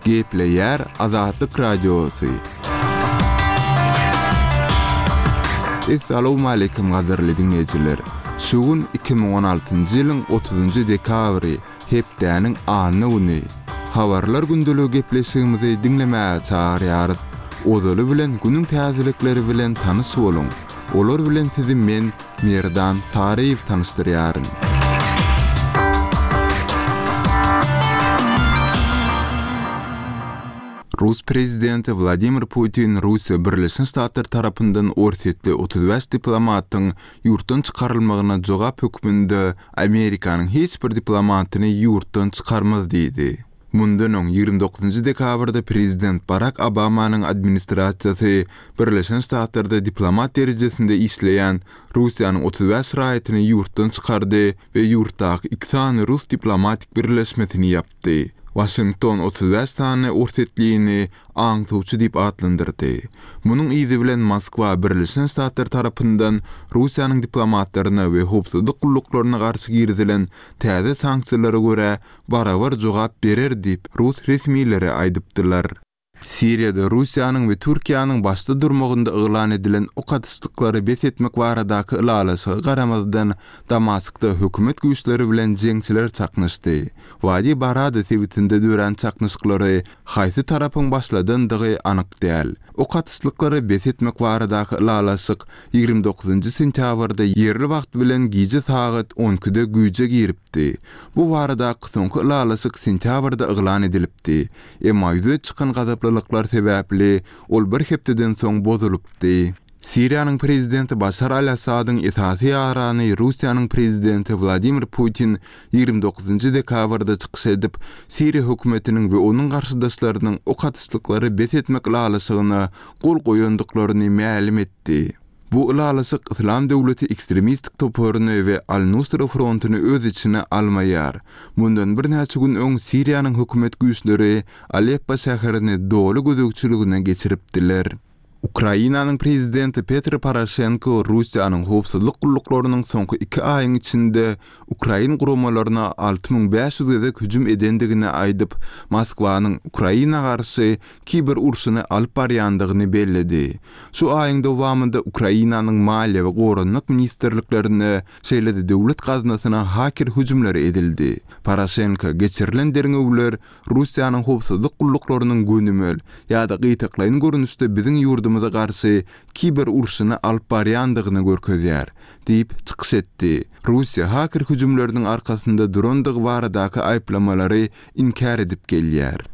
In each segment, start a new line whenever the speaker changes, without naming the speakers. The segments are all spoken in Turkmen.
Gepleýär Azatlyk Radiosy. Essalawmaleýkim gadyrly diňleýjiler! Şu gün 2016-njy ýylyň otuzynjy dekabry, hepdäniň anna güni. Habarlar gündeligi gepleşigimizi diňlemäge çagyrýarys. Ozaly bilen günüň täzelikleri bilen tanyş boluň! Olar bilen sizi men, Merdan Saryýew tanyşdyrýaryn. Rus prezidenti Wladimir Putin Russiýa Birleşen Ştatlar tarapyndan orsýetli 35 diplomatyň ýurtdan çykarylmagyna jogap hökmünde Amerikanyň hiç bir diplomatyny ýurtdan çykarmaz diýdi. Mundan öň, 29 dekabrda prezident Barak Obamanyň administrasiýasy Birleşen Ştatlarda diplomat derejesinde işleýän Russiýanyň 35 raýatyny ýurtdan çykardy we ýurtdaky iki sany rus diplomatik birleşmesini ýapdy. Waşington 35 sany orsýetlini aňtawçy diýip atlandyrdy. Munuň yzy bilen Moskwa Birleşen Ştatlar tarapyndan Russiýanyň diplomatlaryna we howpsuzlyk gulluklaryna garşy girizilen täze sanksiýalara görä barabar jogap berer diýip, rus resmileri aýdypdylar. Siriýada Russiýanyň we Türkiýäniň başda durmagynda yglan edilen ok atyşlyklary bes etmek baradaky ylalaşyga garamazdan, Damaskda hökümet güýçleri bilen jeňçiler çaknyşdy. Wadi Barada sebitinde dörän çaknyşyklary haýsy tarapyň başladandygy anyk däl. Ok atyşlyklary bes etmek baradaky ylalaşyk 29 sentýabrda ýerli wagt bilen gije sagat on ikide güýje giripdi. Bu baradaky soňky ylalaşyk sentýabrda yglan edilipdi. Emma ýüze çykan gazaplylyklar sebäpli ol bir hepdeden soň bozulypdy. Siriýanyň prezidenti Başar al-Assadyň esasy ýarany Russiýanyň prezidenti Wladimir Putin 29 dekabrda çykyş edip, Siriýa hökümetiniň we onuň garşydaşlarynyň ok atyşlyklary bes etmek ylalaşygyna gol goýandyklaryny mälim etdi. Bu ylalaşyk Yslam döwleti ekstremistik toparyny we Al-Nusra frontuny öz içine almaýar. Mundan birnäçe gün öň Siriýanyň hökümet güýçleri Aleppo şäherini doly gözegçiligine geçiripdiler. Ukrainanyň prezidenti Petro Poroşenko Russiýanyň howpsuzlyk gulluklarynyň soňky iki aýyň içinde ukrain guramalaryna 6500 gezek hüjüm edendigini aýdyp, Moskwanyň Ukraina garşy kiber urşuny alyp barýandygyny belledi. Şu aýyň dowamynda Ukrainanyň Maliýe we Goranmak ministrliklerine, şeýle-de döwlet gaznasyna haker hüjümleri edildi. Poroşenko geçirilen derňewler Russiýanyň howpsuzlyk gulluklarynyň gönümel ýa-da gytaklaýyn görnüşde biziň ýurdumyza garşy kiber urşuny alyp barýandygyny görkezýär, diýip, çykyş etdi. Russiýa haker hüjümleriniň arkasynda durandygy baradaky aýyplamalary inkär edip gelýär.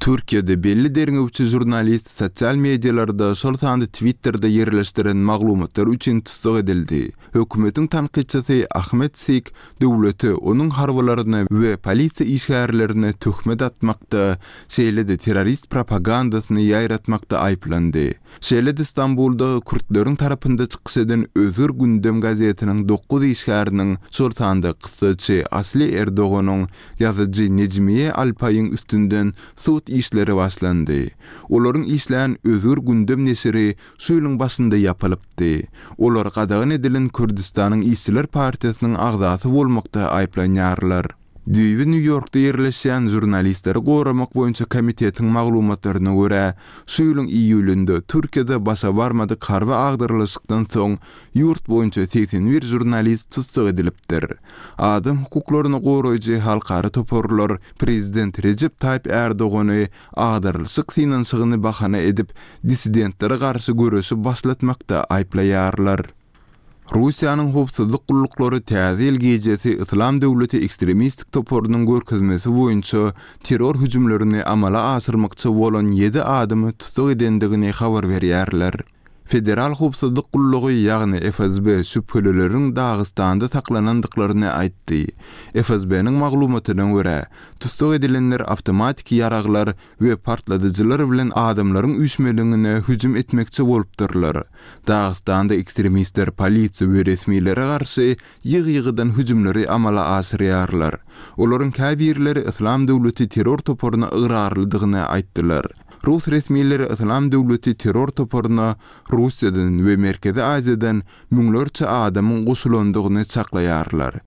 Türkiýede belli derňewçi žurnalist sosial medialarda, şol sanda Twitterde ýerleşdiren maglumatlary üçin tussag edildi. Hökümetiň tankytçysy Ahmet Sik döwlete, onuň harbylaryna we polisiýa işgärlerine töhmet atmakda, şeýle-de terrorist propagandasyny ýaýratmakda aýyplandy. Şeýle-de Stambulda kürtleriň tarapynda çykyş eden Özgür Gündem gazetiniň dokuz işgäriniň, şol sanda kyssaçy Asli Erdoganyň, ýazyjy Nejmiýe Alpaýyň üstünden sud işleri başlandy. Olaryň işlän Özgür Gündem neşiri şu ýylyň başynda ýapylypdy. Olar gadagan edilen Kürdüstanyň işçiler partiýasynyň agzasy bolmakda aýyplanýarlar. Düýbi Nýu-Ýorkda ýerleşýän Žurnalistleri goramak boýunça komitetiň maglumatlaryna görä, şu ýylyň iýulynda Türkiýede başa barmadyk harby agdarylyşykdan soň ýurt boýunça 81 žurnalist tussag edilipdir. Adam hukuklaryny goraýjy halkara toparlar prezident Rejep Taýyp Ärdogany agdarylyşyk synanyşygyny bahana edip, dissidentlere garşy göreşi başlatmakda aýyplaýarlar. Russiýanyň howpsuzlyk gulluklary Täze ýyl gijesi Yslam döwleti ekstremistik toparynyň görkezmesi boýunça terror hüjümlerini amala aşyrmakçy bolan ýedi adamy tussag edendigini habar berýärler. Federal howpsuzlyk gullugy, ýagny FSB şübhelileriň Dagystanda saklanandyklaryny aýtdy. FSB-niň maglumatyna görä, tussag edilenler awtomatiki ýaraglar we partladyjylar bilen adamlaryň üýşmeleňine hüjüm etmekçi bolupdyrlar. Dagystanda ekstremistler polisiýa we resmilere garşy ýygy-ýygydan hüjümleri amala aşyrýarlar. Olaryň käbirleri Yslam döwleti terror toparyna ygrarlydygyny aýtdylar. Rus resmileri Yslam döwleti terror toparyna Russiýadan we Merkezi Aziýadan müňlerçe adamyň goşulandygyny çaklaýarlar.